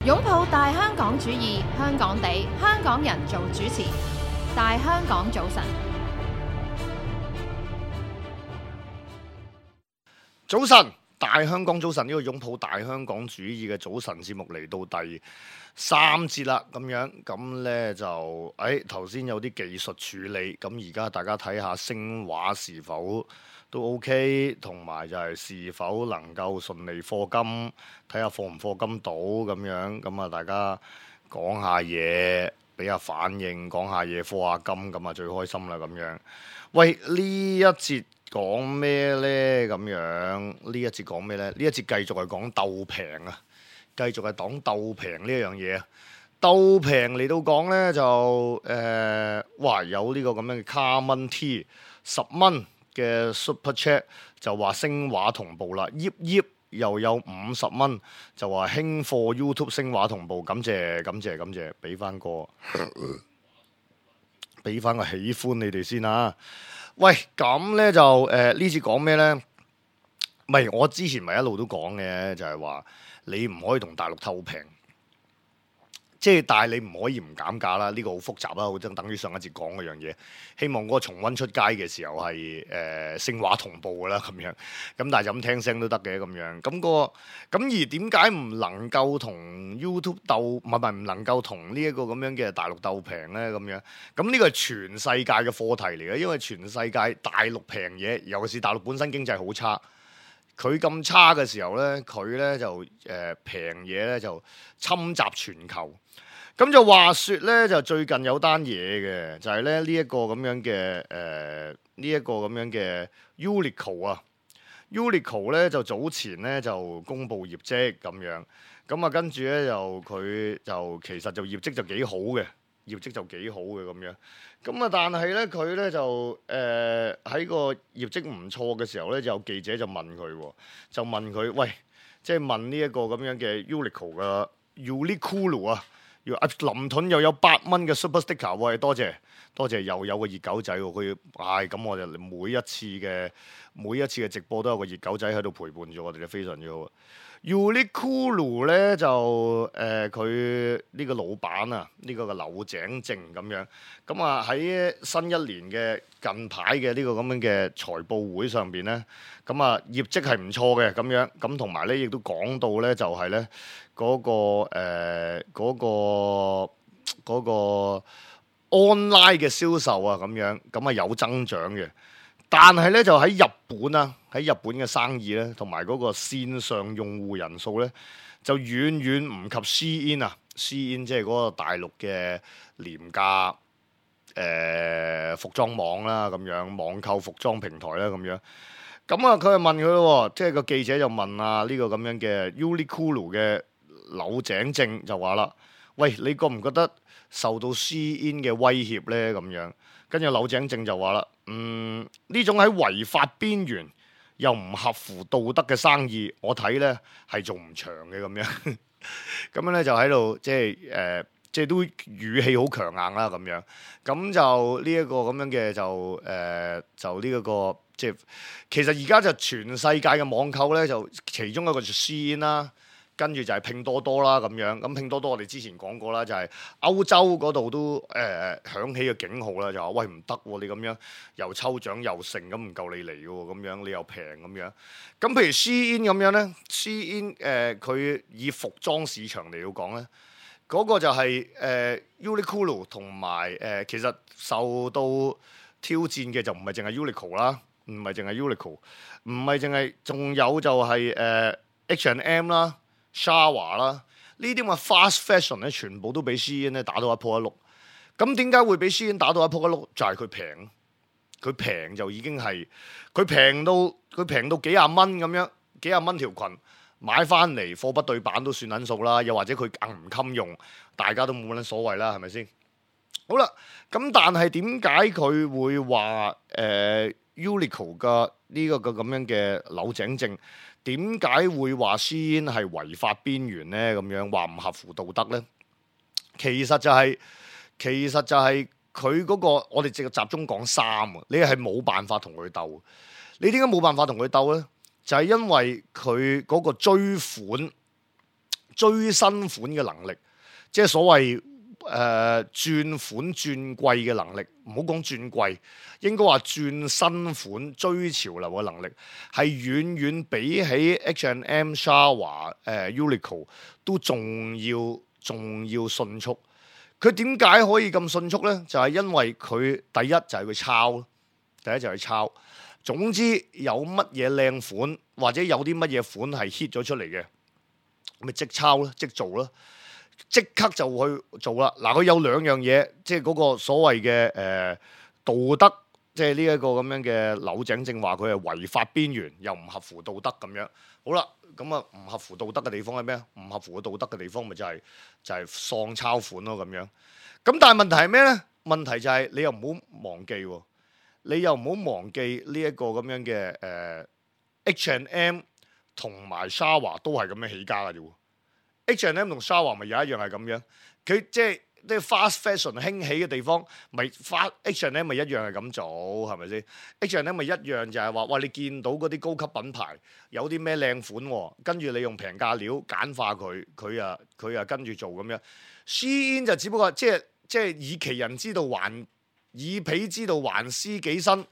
擁抱大香港主義，香港地，香港人做主持。大香港早晨，早晨，大香港早晨，呢個擁抱大香港主義嘅早晨節目嚟到第3節啦，咁呢就頭先有啲技術處理，咁而家大家睇下聲畫是否都 OK， 同埋就係是否能夠順利課金，睇下課唔課金到咁啊大家講下嘢，俾下反應，講下嘢，課下金，咁啊最開心啦咁樣。喂，呢一節講咩呢？咁樣呢一節講咩呢？呢一節繼續係講鬥平啊，繼續係講鬥平呢一樣嘢啊。鬥平嚟到講呢，就有呢個咁樣嘅卡蚊 T 10蚊嘅 Super Chat 就話聲畫同步啦，又有50蚊就話興課 YouTube 聲畫同步，感謝，俾翻個喜歡你哋先啊！喂，咁呢就呢次講咩呢？唔係我之前咪一路都講嘅，就係話你唔可以同大陸鬥平，即係但係你唔可以唔減價啦。呢個好複雜啦，好似等於上一節講嗰樣嘢。希望嗰個重溫出街嘅時候係聲畫同步噶啦咁樣。咁但係咁聽聲都得嘅咁樣。咁而點解唔能夠同 YouTube 鬥？唔能夠同呢一個咁樣嘅大陸鬥平呢？咁樣。咁呢個係全世界嘅課題嚟嘅，因為全世界大陸平嘢，尤其是大陸本身經濟好差。佢咁差嘅時候呢，佢呢就平嘢呢就侵襲全球。咁就話說呢，就最近有單嘢嘅，就係咧呢一個咁樣嘅Uniqlo 啊，Uniqlo 咧就早前咧就公布業績咁樣，咁啊跟住咧就佢就其實就業績就幾好嘅，咁樣，咁啊但係咧佢咧就喺個業績唔錯嘅時候咧，就有記者就問佢，喂，即係問呢一個咁樣嘅 Uniqlo 嘅 Uniqlo 啊。林盾又有8蚊嘅 Super Sticker， 喂，多謝，又有個熱狗仔喎，佢咁我就每一次嘅直播都有個熱狗仔喺度陪伴住我哋，就非常之好。Uniqlo 咧就佢呢個老闆啊，呢個柳井正咁樣，咁啊喺新一年嘅近排嘅呢個咁樣嘅財報會上邊咧，咁啊業績係唔錯嘅咁樣，咁同埋咧亦都講到咧就係咧嗰個 online 嘅銷售啊咁樣，咁啊有增長嘅。但係咧就喺日本嘅生意咧，同埋嗰個線上用戶人數咧，就遠遠唔及 Shein 即係嗰個大陸嘅廉價服裝網啦，咁樣網購服裝平台啦，咁樣。咁啊，佢就問佢咯，即係個記者就問啊呢個咁樣嘅 Uniqlo 嘅柳井正就話啦，喂，你覺唔覺得受到 Shein 嘅威脅咧？咁樣，跟住柳井正就話啦，呢種喺違法邊緣又唔合乎道德嘅生意，我睇咧係做唔長嘅咁樣。咁樣咧就喺度即係都語氣好強硬啦咁樣。咁就呢一個咁樣嘅就呢一個即係其實而家就全世界嘅網購咧，就其中一個就 Shein 啦。跟住就係拼多多啦咁樣，咁拼多多我哋之前講過啦，就係歐洲嗰度都響起個警號啦，就話喂，唔得喎，你咁樣又抽獎又剩咁唔夠你嚟嘅喎，咁樣你又平咁樣。咁譬如 Shein 咁樣咧，Shein 佢以服裝市場嚟到講咧，嗰個就係Uniqlo 同埋其實受到挑戰嘅就唔係淨係 Uniqlo 啦，唔係淨係，仲有就係H&M 啦。Shawa 啦，呢啲咁嘅 fast fashion 咧，全部都俾 Shein 咧打到一鋪一碌。咁點解會俾 Shein 打到一鋪一碌？就係佢平就已經係佢平到幾廿蚊咁樣，幾廿蚊條裙買翻嚟貨不對版都算撚數啦。又或者佢硬唔襟用，大家都冇撚所謂啦，係咪先？好啦，咁但係點解佢會話Uniqlo 嘅呢個咁樣嘅柳井正？點解會話 Shein 係違法邊緣呢？咁樣話唔合乎道德呢？其實就係佢嗰個，我哋直接集中講衫啊！你係冇辦法同佢鬥。你點解冇辦法同佢鬥呢？就係因為佢嗰個追款追新款嘅能力，即係所謂轉款轉貴嘅能力，唔好講轉貴，應該話轉新款追潮流嘅能力，係遠遠比起 H&M、Zara、Uniqlo 都仲要迅速。佢點解可以咁迅速呢？就係因為佢第一就係佢抄，第一就係抄。總之有乜嘢靚款或者有啲乜嘢款係 hit 咗出嚟嘅，咪即抄啦，即做啦，即刻就去做啦。嗱，佢有兩樣嘢，即係嗰個所謂嘅道德，即係呢一個咁樣嘅柳井正話佢係違法邊緣，又唔合乎道德咁樣。好啦，咁啊唔合乎道德嘅地方係咩？唔合乎道德嘅地方咪就係喪抄款咯咁樣。咁但係問題係咩咧？問題就係你又唔好忘記喎。你又唔好忘記呢一個咁樣嘅H&M 同埋 Zara 都係咁樣起家嘅啫喎。H&M 同 Zara 咪有一樣係咁樣，佢即係啲 fast fashion 興起嘅地方，咪 H&M 咪一樣係咁做，係咪先 ？H&M 咪一樣就係話，哇！你見到嗰啲高級品牌有啲咩靚款喎，跟住你用平價料簡化佢，佢啊跟住做咁樣。Shein 就只不過即係以其人之道還。以彼之道還施己身。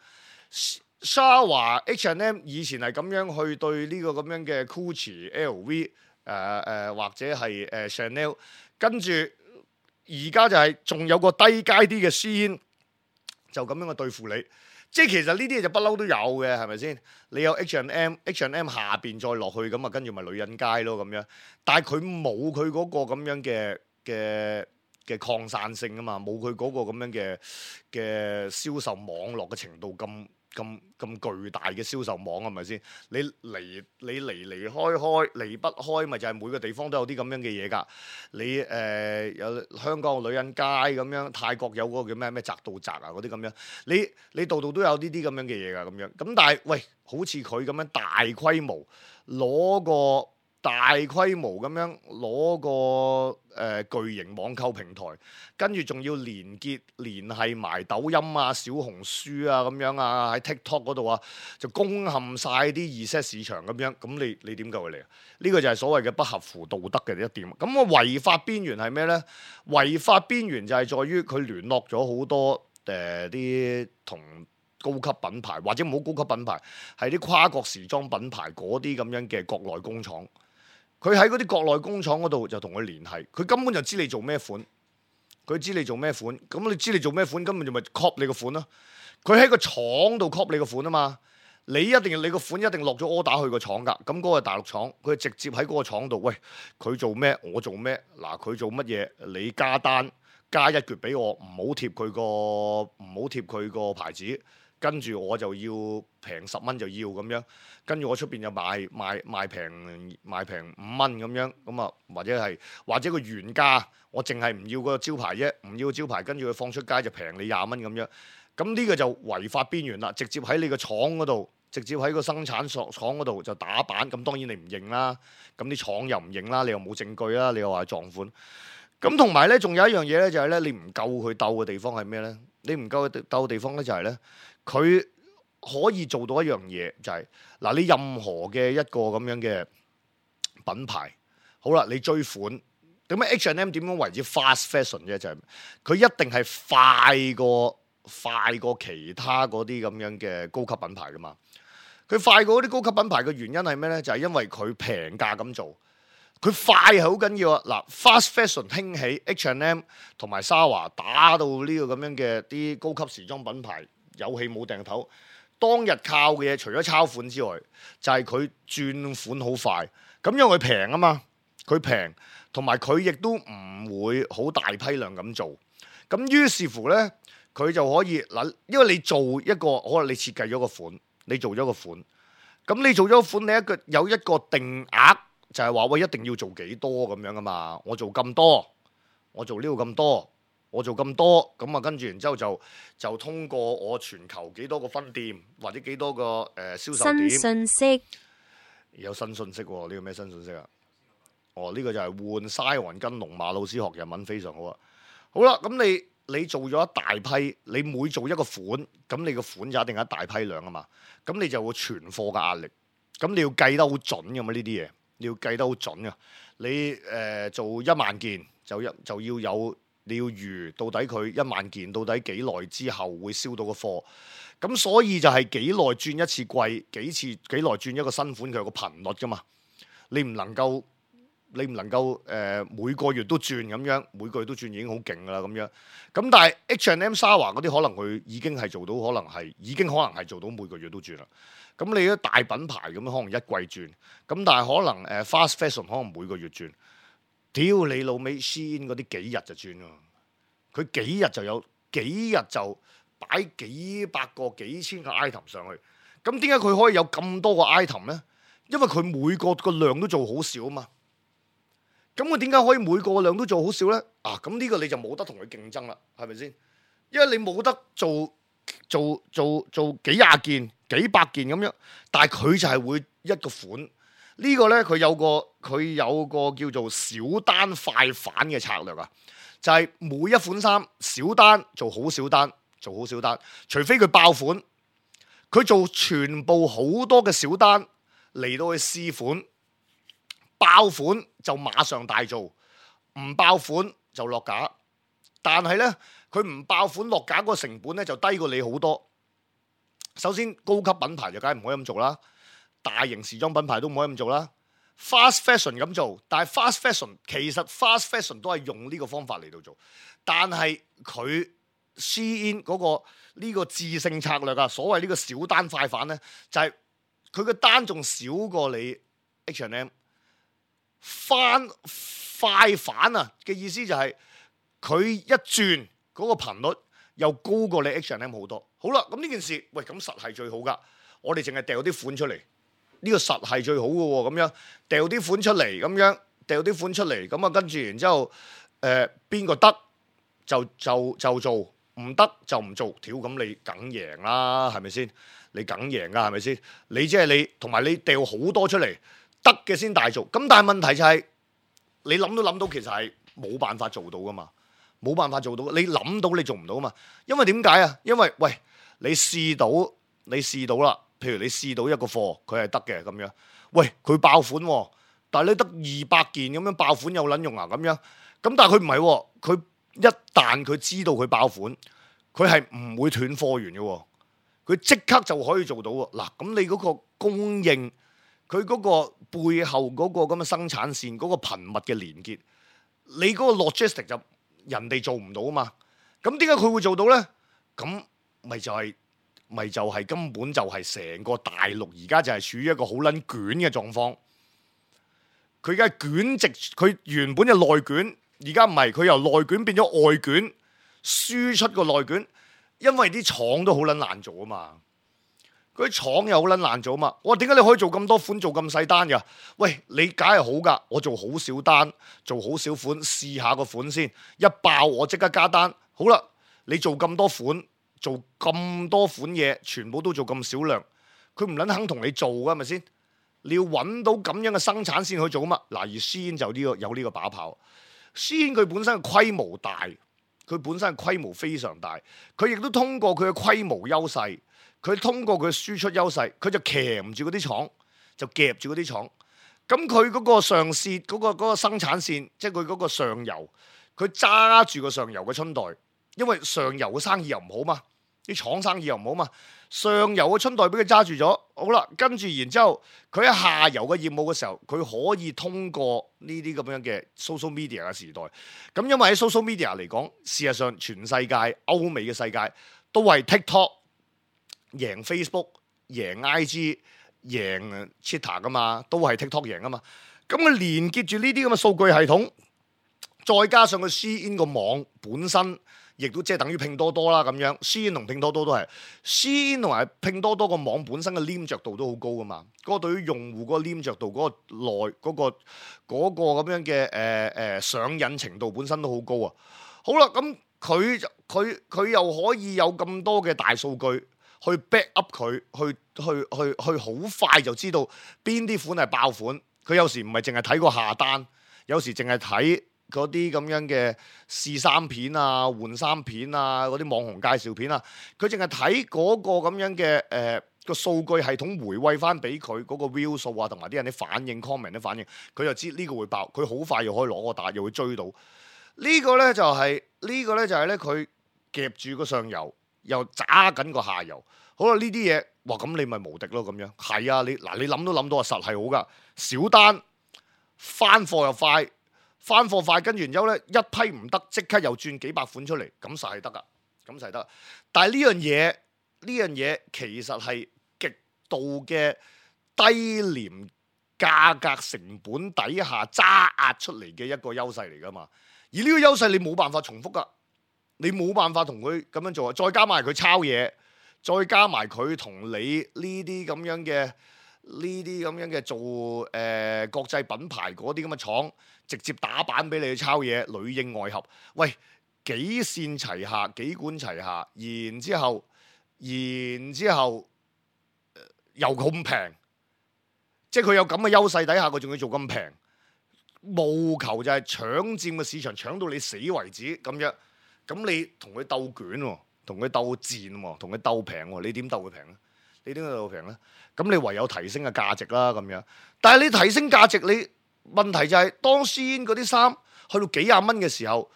Zara、H&M 以前係咁樣去對呢個咁樣嘅 Gucci、LV 或者係Chanel， 跟住而家就係仲有個低階啲嘅 Shein，就咁樣去對付你。即係其實呢啲嘢就不嬲都有嘅，係咪先？你有 H&M 下邊再落去咁啊，跟住咪女人街咯咁樣。但係佢冇佢嗰個咁樣嘅擴散性啊嘛，冇佢嗰個咁樣嘅銷售網絡嘅程度咁巨大嘅銷售網，係咪先？你離開離不開，咪就係每個地方都有啲咁樣嘅嘢㗎。你有香港嘅女人街咁樣，泰國有嗰個叫咩宅到宅啊嗰啲咁樣，你度度都有呢啲咁樣嘅嘢㗎咁樣。咁但係喂，好似佢咁樣大規模咁樣攞個巨型網購平台，跟住仲要聯繫埋抖音啊、小紅書啊咁樣啊，喺 TikTok 嗰度啊，就攻陷晒啲2set市場咁樣。咁你點夠佢嚟啊？呢個就係所謂嘅不合乎道德嘅一點。咁個違法邊緣係咩呢？違法邊緣就係在於佢聯絡咗好多啲同高級品牌，或者唔好高級品牌，係啲跨國時裝品牌嗰啲咁樣嘅國內工廠。佢喺嗰啲國內工廠嗰度就同佢聯繫，佢根本就知你做咩款，咁你知你做咩款，根本就咪 copy 你個款咯。佢喺個廠度 copy 你個款啊嘛，你個款一定落咗 order 去個廠㗎，咁嗰個係大陸廠，佢直接喺嗰個廠度，喂，佢做咩我做咩，嗱佢做乜嘢你加單加一橛俾我，唔好貼佢個牌子。跟住我就要平10蚊就要咁樣，跟住我出邊就賣平5蚊咁樣，咁啊或者個原價我淨係唔要個招牌啫，唔要招牌，跟住佢放出街就平你20蚊咁樣，咁呢個就違法邊緣啦，直接喺你個廠嗰度，直接喺個生產廠嗰度就打板，咁當然你唔認啦，咁啲廠又唔認啦，你又冇證據啦，你又話撞款，咁同埋咧仲有一樣嘢咧就係咧你唔夠佢鬥嘅地方係咩咧？你唔夠佢鬥嘅地方咧就係咧。佢可以做到一樣嘢，就係嗱，你任何嘅一個咁樣嘅品牌，好啦，你追款，點解 H&M 點樣為之 fast fashion 啫？就係佢一定係快過其他嗰啲咁樣嘅高級品牌噶嘛。佢快過嗰啲高級品牌嘅原因係咩咧？就係因為佢平價咁做，佢快係好緊要啊！嗱 ，fast fashion 興起 H&M 同埋 Zara 打到呢個咁樣嘅啲高級時裝品牌。有氣冇掟頭，當日靠嘅嘢除咗抄款之外，就係佢轉款好快，咁因為佢平啊嘛，佢平，同埋佢亦都唔會好大批量咁做，咁於是乎呢，佢就可以嗱，因為你做一個可能你設計咗個款，你做咗個款，咁你做咗個款，你有一個定額，就係話喂一定要做幾多咁樣噶嘛，我做咁多，我做呢度咁多。我做咁多，咁啊跟住然之後就通過我全球幾多個分店或者幾多個銷售點。新信息有新信息喎，呢個咩新信息啊？哦，呢個就係換西雲跟龍馬老師學日文非常好啊！好啦，咁你做咗一大批，你每做一個款，咁你個款就一定有一大批量啊嘛，咁你就會存貨嘅壓力，咁你要計得好準㗎嘛呢啲嘢。你要計得好準啊！你做1萬件就要有你要預到底佢1萬件到底幾耐之後會燒到個貨，咁所以就係幾耐轉一次季，幾耐轉一個新款，佢有個頻率噶嘛，你唔能夠每個月都轉咁樣，每個月都轉已經好勁噶啦咁樣。咁但係 H&M、Zara 嗰啲可能佢已經係做到，已經可能係做到每個月都轉啦。咁你啲大品牌咁可能一季轉，咁但係可能fast fashion 可能每個月轉。屌你老味，Shein 嗰啲幾日就轉喎，佢幾日就有，幾日就擺幾百個、幾千個 item 上去。咁點解佢可以有咁多個 item 呢？因為佢每個量都做好少啊嘛。咁佢點解可以每個量都做好少呢？啊，咁呢個你就冇得同佢競爭啦，係咪先？因為你冇得做幾廿件、幾百件咁樣，但係佢就係會一個款。呢個呢，佢有個叫做小單快反嘅策略啊，就係每一款衫小單做好小單，做好小單，除非佢爆款，佢做全部好多嘅小單嚟到去試款。爆款就馬上大做，唔爆款就落架。但係呢，佢唔爆款落架嗰個成本呢，就低過你好多。首先高級品牌就梗係唔可以咁做啦，大型時裝品牌都唔可以咁做啦。Fast fashion 咁做，但係 fast fashion 其實 fast fashion 都係用呢個方法嚟到做，但係佢 Shein 嗰個呢個致勝策略啊，所謂呢個小單快反呢，就係佢個單仲少過你 H&M。快反啊嘅意思就係佢一轉嗰個頻率又高過你 H&M 好多。好啦，咁呢件事喂，咁實係最好噶。我哋淨係掉啲款出嚟，呢個實係最好嘅喎。咁樣掉啲款出嚟，咁樣掉啲款出嚟，咁啊跟住然之後邊個得就做，唔得就唔做。屌，咁你梗贏啦，係咪先？你梗贏噶，係咪先？你即係你同埋你掉好多出嚟。得嘅先大做，咁但係問題就係你諗都諗到，其實係冇辦法做到噶嘛，冇辦法做到。你諗到你做唔到嘛？因為點解啊？因為喂，你試到啦，譬如你試到一個貨，佢係得嘅咁樣，喂佢爆款喎，但係你得200件咁樣爆款有撚用啊咁樣，咁但係佢唔係喎，佢一旦佢知道佢爆款，佢係唔會斷貨源嘅喎，佢即刻就可以做到喎。嗱，咁你嗰個供應，佢嗰個背後嗰個咁嘅生產線嗰個頻密嘅連結，你嗰個 logistic 就人哋做唔到啊嘛。咁點解佢會做到呢？咁咪就係根本就係成個大陸而家就係處於一個好撚捲嘅狀況。佢而家捲直，佢原本嘅內捲，而家唔係，佢由內捲變咗外捲，輸出個內捲，因為啲廠都好撚難做啊嘛。嗰啲廠又好撚難做啊嘛！我話點解你可以做咁多款做咁細單㗎？喂，你梗係好㗎，我做好少單，做好少款，試下個款先，一爆我即刻加單。好啦，你做咁多款，做咁多款嘢，全部都做咁少量，佢唔撚肯同你做㗎，係咪先？你要揾到咁樣嘅生產線去做啊嘛。嗱，而 Shein 就有呢個把炮。Shein 佢本身嘅規模大，佢本身嘅規模非常大，佢亦都通過佢嘅規模優勢。佢通過佢輸出優勢，佢就鉗住嗰啲廠，就夾住嗰啲廠。咁佢嗰個上線嗰個生產線，即係佢嗰個上游，佢揸住個上游嘅春袋，因為上游嘅生意又唔好嘛，啲廠生意又唔好嘛，上游嘅春袋俾佢揸住咗。好啦，跟住然之後，佢喺下游嘅業務嘅時候，佢可以通過呢啲咁樣嘅 social media 嘅時代。咁因為喺 social media 嚟講，事實上全世界歐美嘅世界都係 TikTok。贏 Facebook、贏 IG、贏 Twitter 噶嘛，都係 TikTok 贏噶嘛。咁佢連結住呢啲咁嘅數據系統，再加上佢 Shein 個網本身，亦都即係等於拼多多啦咁樣。Shein 同拼多多都係 Shein 同埋拼多多個網本身嘅黏着度都好高噶嘛。嗰個對於用戶嗰個黏着度、嗰個內嗰個咁樣嘅上癮程度本身都好高啊。好啦，咁佢又可以有咁多嘅大數據。去 back up 佢，去好快就知道邊啲款係爆款。佢有時唔係淨係睇個下單，有時淨係睇嗰啲咁樣嘅試衫片啊、換衫片啊、嗰啲網紅介紹片啊。佢淨係睇嗰個咁樣嘅個數據系統回歸翻俾佢嗰個 view 數啊，同埋啲人啲反應 comment 啲反應，佢就知呢個會爆，佢好快又可以攞個打，又會追到。呢個咧就係咧佢夾住個上游，又揸緊個下游。好啦，呢啲嘢，哇咁你咪無敵咯咁樣。係啊，你諗都諗到啊，實係好噶。小單翻貨又快，翻貨快，跟住然之後咧一批唔得，即刻又轉幾百款出嚟，咁實係得噶，咁實係得。但係呢樣嘢其實係極度嘅低廉價格成本底下揸壓出嚟嘅一個優勢嚟噶嘛。而呢個優勢你冇辦法重複噶，你冇辦法同佢咁樣做啊。再加埋佢抄嘢。再加埋佢同你呢啲咁樣嘅做國際品牌嗰啲咁嘅廠，直接打板俾你去抄嘢，裏應外合，喂幾線齊下，幾管齊下，然之後又咁平，即係佢有咁嘅優勢底下，佢仲要做咁平，務求就係搶佔個市場，搶到你死為止咁樣，咁你同佢鬥卷喎。同佢鬥賤喎，同佢鬥平喎，你點鬥佢平咧？你點解鬥佢平咧？咁你唯有提升嘅價值啦，咁樣。但係你提升價值，你問題就係當先嗰啲衫去到幾廿蚊嘅時候，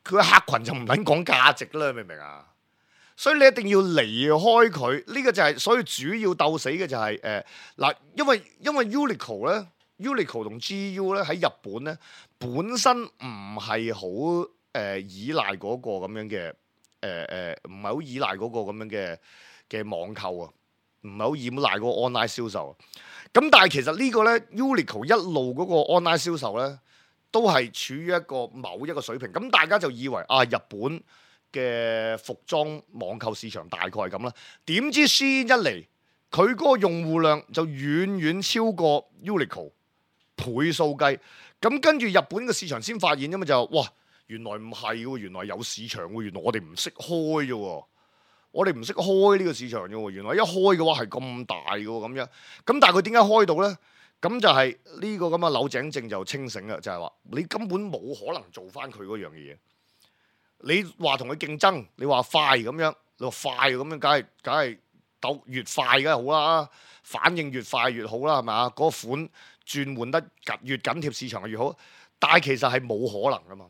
佢嘅客群就唔撚講價值啦，明唔明啊？所以你一定要離開佢，呢個就係所以主要鬥死嘅就係嗱，因為 Uniqlo 咧，Uniqlo 同 GU 咧喺日本咧本身唔係好依賴嗰個咁樣嘅。唔係好依賴嗰個咁樣嘅網購啊，唔係好依賴嗰個 online 銷售啊。咁但係其實呢個咧 Uniqlo 一路嗰個 online 銷售咧，都係處於一個某一個水平。咁大家就以為啊，日本嘅服裝網購市場大概係咁啦。點知先一嚟，佢嗰個用戶量就遠遠超過 Uniqlo 倍數計。咁跟住日本嘅市場先發現，因為就哇。原來唔係喎，原來有市場喎，原來我哋唔識開啫喎，我哋唔識開呢個市場啫喎，原來一開嘅話係咁大嘅喎，咁樣，咁但係佢點解開到咧？咁就係呢個咁嘅柳井正就清醒啦，就係話你根本冇可能做翻佢嗰樣嘢。你話同佢競爭，你話快咁樣，你話快咁樣，梗係鬥越快梗係好啦，反應越快越好啦，係咪啊？嗰個款轉換得越緊貼市場越好，但係其實係冇可能噶嘛。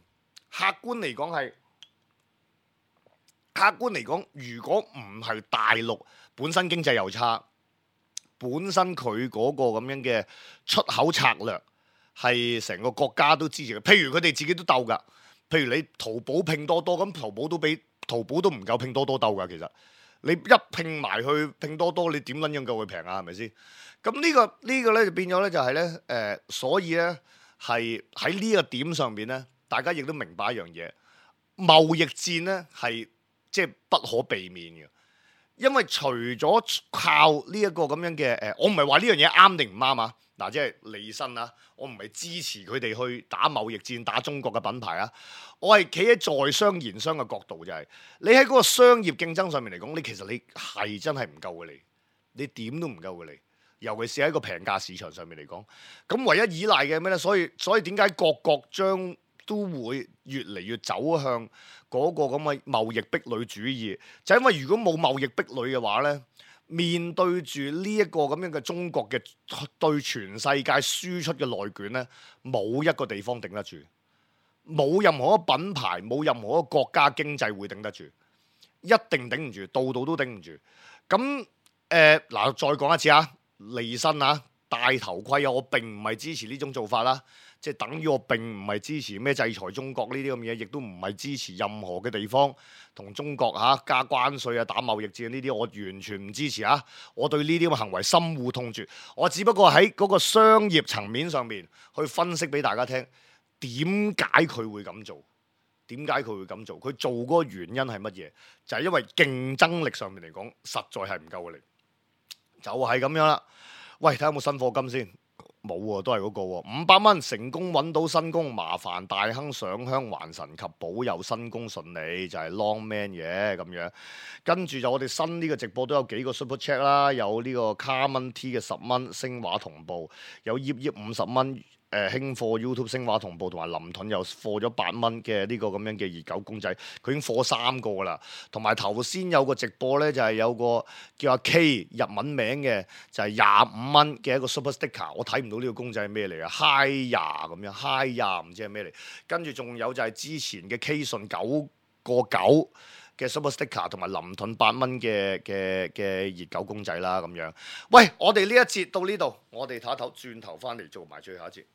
客觀嚟講，如果唔係大陸本身經濟又差，本身佢嗰個咁樣嘅出口策略係成個國家都支持嘅。譬如佢哋自己都鬥㗎，譬如你淘寶拼多多，咁淘寶都唔夠拼多多鬥㗎。其實你一拼埋去拼多多，你點撚樣夠佢平啊？係咪先？咁呢個咧就變咗咧就係咧所以咧係喺呢個點上邊咧。大家亦都明白一樣嘢，貿易戰咧係即係不可避免嘅，因為除咗靠呢一個咁樣嘅我唔係話呢樣嘢啱定唔啱啊，嗱即係利申啊，我唔係支持佢哋去打貿易戰打中國嘅品牌啊，我係企喺在商言商嘅角度，就係你喺嗰個商業競爭上面嚟講，你其實你係真係唔夠嘅你點都唔夠嘅你。尤其是喺個平價市場上面嚟講，咁唯一依賴嘅咩咧？所以點解各國將都會越嚟越走向嗰個咁嘅貿易壁壘主義，就係因為如果冇貿易壁壘嘅話咧，面對住呢一個咁樣嘅中國嘅對全世界輸出嘅內卷咧，冇一個地方頂得住，冇任何一個品牌，冇任何一個國家經濟會頂得住，一定頂唔住，度度都頂唔住。咁嗱，再講一次啊，利申啊，戴頭盔啊，我並唔係支持呢種做法啦。即係等於我並唔係支持咩制裁中國呢啲咁嘢，亦都唔係支持任何嘅地方同中國加關稅啊、打貿易戰呢啲，我完全唔支持啊！我對呢啲咁嘅行為深惡痛絕。我只不過喺嗰個商業層面上面去分析俾大家聽，點解佢會咁做？點解佢會咁做？佢做嗰個原因係乜嘢？就係因為競爭力上面嚟講，實在係唔夠嘅力，就係咁樣啦。喂，睇下有冇新貨金先。冇喎，都係嗰個喎。500蚊成功揾到新工，麻煩大亨上香還神及保佑新工順利，就係 Long Man 嘅咁樣。跟住就我哋新呢個直播都有幾個 Super Chat 啦，有呢個 Carmen T 嘅10蚊星畫同步，有葉50蚊興貨 YouTube 星華同步，同埋林盾又貨咗8蚊嘅呢個咁樣嘅熱狗公仔，佢已經貨3個㗎啦。同埋頭先有個直播咧，就係、是、有個叫阿 K 日文名嘅，就係25蚊嘅一個 Super Sticker，我睇唔到呢個公仔係咩嚟啊 ，Hi 呀咁樣 ，Hi 呀唔知係咩嚟。跟住仲有就係之前嘅 K 順9個9嘅 Super Sticker，同埋林盾8蚊嘅熱狗公仔啦咁樣。喂，我哋呢一節到呢度，我哋唞一唞，轉頭翻嚟做埋最後一節。